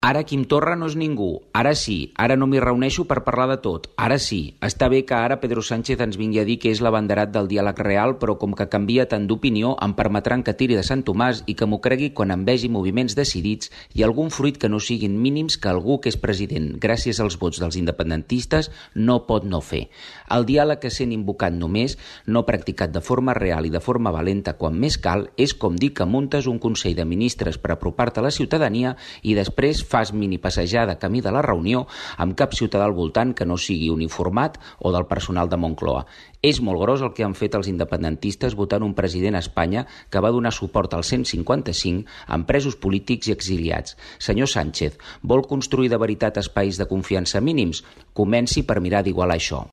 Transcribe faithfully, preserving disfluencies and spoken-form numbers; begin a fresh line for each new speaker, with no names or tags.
Ara Quim Torra no és ningú, ara sí, ara no m'hi reuneixo per parlar de tot, ara sí. Està bé que ara Pedro Sánchez ens vingui a dir que és l'abanderat del diàleg real, però com que canvia tant d'opinió em permetran que tiri de Sant Tomàs i que m'ho cregui quan em vegi moviments decidits i algun fruit que no siguin mínims que algú que és president, gràcies als vots dels independentistes, no pot no fer. El diàleg que sent invocat només, no practicat de forma real i de forma valenta quan més cal, és com dir que muntes un Consell de Ministres per apropar-te a la ciutadania i després fas mini passejada camí de la reunió amb cap ciutadà al voltant que no sigui uniformat o del personal de Moncloa. És molt gros el que han fet els independentistes votant un president a Espanya que va donar suport al cent cinquanta-cinc amb presos polítics i exiliats. Senyor Sánchez, vol construir de veritat espais de confiança mínims? Comenci per mirar d'igualar això.